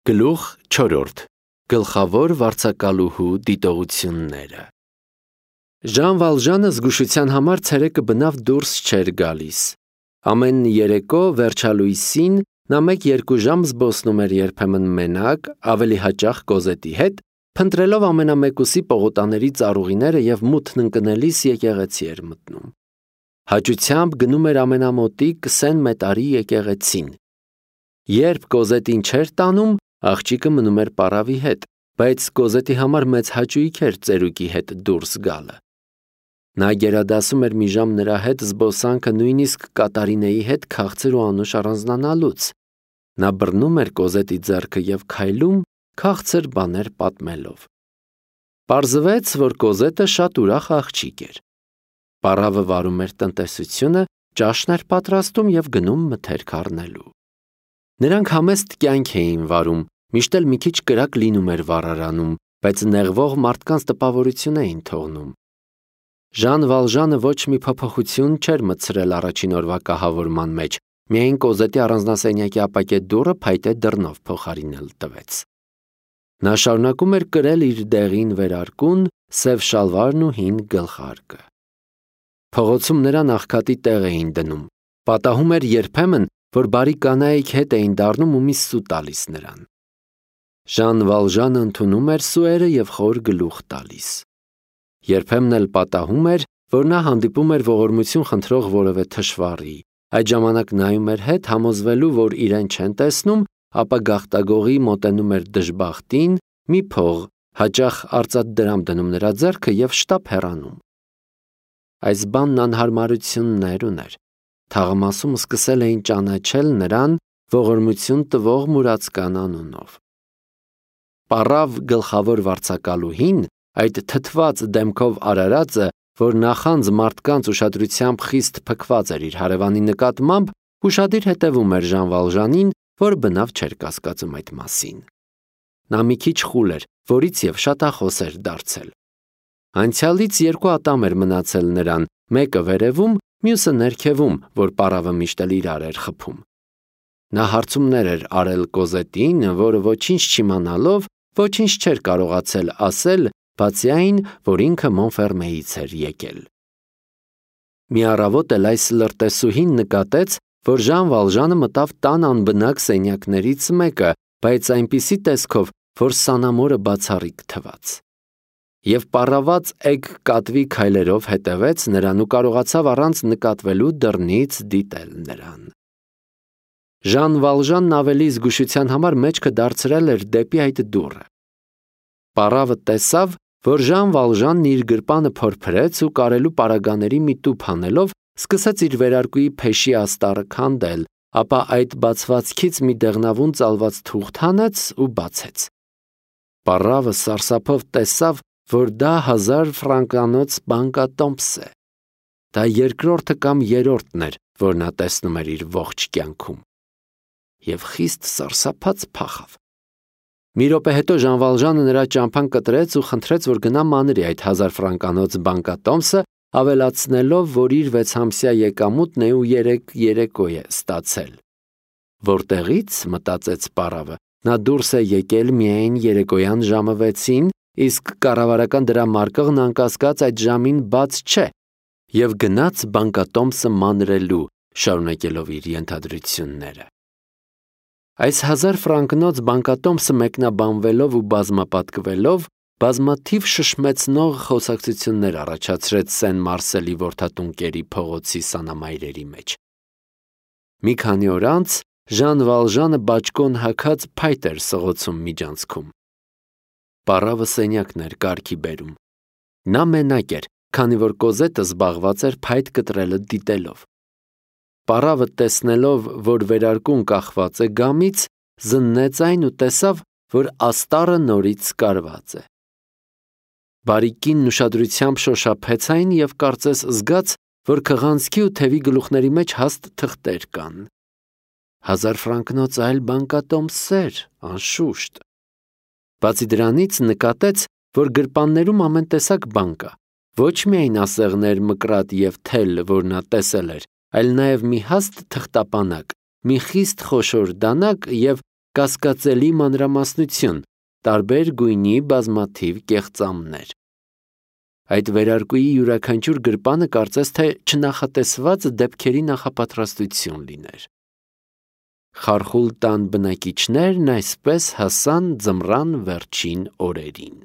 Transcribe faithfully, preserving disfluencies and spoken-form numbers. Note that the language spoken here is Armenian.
Գլուխ չորրորդ. Գլխավոր վարձակալուհու դիտողությունները։ Ժան Վալժանը զգուշության համար ցերեկը բնավ դուրս չէր գալիս։ Ամեն երեկո վերջալույսին նա մեկ-երկու ժամ զբոսնում էր երբեմն մենակ, ավելի հաճախ Կոզետի հետ, փնտրելով ամենամեկուսի պողոտաների ծառուղիները և մութն ընկնելիս եկեղեցի էր մտնում։ Հաճությամբ գնում էր ամենամոտիկ Սեն Մետարի եկեղեցին։ Երբ Կոզետին չէր տանում, աղջիկը մնում էր պարավի հետ, բայց Կոզետի համար մեծ հաճույք էր ծերուկի հետ դուրս գալը։ Նա գերադասում էր մի ժամ նրա հետ զբոսանքը նույնիսկ Կատարինեի հետ քաղցր ու անուշ առանձնանալուց։ Նա բռնում էր Կոզետի ձեռքը և քայլում, քաղցր բաներ պատմելով։ Պարզվեց, որ Կոզետը շատ ուրախ աղջիկ էր։ Պառավը վարում էր տնտեսությունը, ճաշն էր պատրաստում և գնում մթերք առնելու։ Նրանք համեստ կյանք էին վարում, միշտ էլ մի քիչ կրակ լինում էր վառարանում, բայց նեղվող մարդկանց տպավորություն էին թողնում։ Ժան Վալժանը ոչ մի փոփոխություն չէր մտցրել առաջին օրվա կահավորման մեջ, միայն Կոզետի առանձնասենյակի ապակե դուռը փայտե դռնով փոխարինել տվեց։ Նա շարունակում էր կրել իր դեղին վերարկուն, սև շալվարն ու հին գլխարկը։ Փողոցում նրան աղքատի տեղ էին դնում, պատահում էր երբեմն, որ բարի կանայք հետ էին դառնում ու մի սու տալիս նրան։ Ժան Վալժանը ընդունում էր սուերը և խոր գլուխ տալիս։ Երբեմն էլ պատահում էր, որ նա հանդիպում էր ողորմություն խնդրող որևէ թշվառի, այդ ժամանակ նայում էր հետ, համոզվելու, որ իրեն չեն տեսնում, ապա գաղտագողի մոտենում էր դժբախտին, մի փող, հաճախ արծաթ դրամ դնում նրա ձեռքը և շտապ հեռանում։ Այս բանն անհարմարություններ ուներ։ Թաղամասում սկսել էին ճանաչել նրան ողորմություն տվող մուրացկան անունով։ Պառավ գլխավոր վարձակալուհին, այդ թթված դեմքով արարածը, որ նախանձ մարդկանց ուշադրությամբ խիստ փքված էր իր հարևանի նկատմամբ, ուշադիր հետևում էր Ժան Վալժանին, որ բնավ չէր կասկածում այդ մասին։ Նա մի քիչ խուլ էր, որից և շատախոս էր դարձել։ Անցյալից երկու ատամ էր մնացել նրան, մեկը վերևում, մյուսը ներքևում, որ պառավը միշտ էլ իրար էր խփում։ Նա հարցումներ էր արել Կոզետին, որը ոչինչ չիմանալով, ոչինչ չէր կարողացել ասել, բացի այն, որ ինքը Մոնֆերմեից էր եկել։ Մի առավոտ էլ այս լրտեսուհին նկատեց, որ Ժան Վալժանը մտավ տան անբնակ սենյակներից մեկը, բայց այնպիսի տեսքով, որ սանամորը բացառիկ թվաց։ Եվ պառաված էգ կատվի քայլերով հետևեց նրան ու կարողացավ առանց նկատվելու դռնից դիտել նրան։ Ժան Վալժանն ավելի զգուշության համար մեջքը դարձրել էր դեպի այդ դուռը։ Պառավը տեսավ, որ Ժան Վալժանն իր գրպանը փորփրեց ու կարելու պարագաների մի տուփ անելով սկսեց իր վերարկուի փեշի աստառը քանդել, ապա այդ բացվածքից մի դեղնավուն ծալված թուղթ հանեց ու բացեց։ Պառավը սարսափով տեսավ, որ դա հազար ֆրանկանոց բանկատոմս է։ Դա երկրորդը կամ երրորդն էր, որ նա տեսնում էր իր ողջ կյանքում։ Եվ խիստ սարսափած փախավ։ Մի րոպե հետո Ժան Վալժանը նրա ճամփան կտրեց ու խնդրեց, որ գնա մանրի այդ հազար ֆրանկանոց բանկատոմսը, ավելացնելով, որ իր վեցամսյա եկամուտն է ու երեք երեկո է ստացել։ Որտեղից, մտածեց պառավը, նա դուրս է եկել միայն երեկոյան ժամը վեցին, իսկ կառավարական դրամարկղն անկասկած այդ ժամին բաց չէ, և գնաց բանկատոմսը մանրելու, շարունակելով իր ենթադրությունները։ Այս հազար ֆրանկնոց բանկատոմսը մեկնաբանվելով ու բազմապատկվելով, բազմաթիվ շշմեցնող խոսակցություններ առաջացրեց Սեն Մարսելի որդատունկերի փողոցի սանամայրերի մեջ։ Մի քանի օր անց Ժան Վալժանը բաճկոն հագած փայտ էր սղոցում միջանցքում։ Պառավը սենյակն էր կարգի բերում։ Նա մենակ էր, քանի որ Կոզետը զբաղված էր փայտ կտրելը դիտելով։ Պառավը տեսնելով, որ վերարկուն կախված է գամից, զննեց այն ու տեսավ, որ աստառը նորից կարված է։ Բարի կինն ուշադրությամբ շոշափեց այն և կարծես զգաց, որ քղանցքի ու թևի գլուխների մեջ հաստ թղթեր կան։ Հազար ֆրանկնոց այլ բանկատոմսեր, անշուշտ։ Բացի դրանից նկատեց, որ գրպաններում ամեն տեսակ բան կա, ոչ միայն ասեղներ, մկրատ և թել, որ նա տեսել էր, այլ նաև մի հաստ թղթապանակ, մի խիստ խոշոր դանակ և կասկածելի մանրամասնություն, տարբեր գույնի բազմաթիվ կեղծամներ։ Այդ վերարկուի յուրաքանչյուր գրպանը կարծես թե չնախատեսված դեպքերի նախապատրաստություն լիներ։ Խարխուլ տան բնակիչներն այսպես հասան ձմռան վերջին օրերին։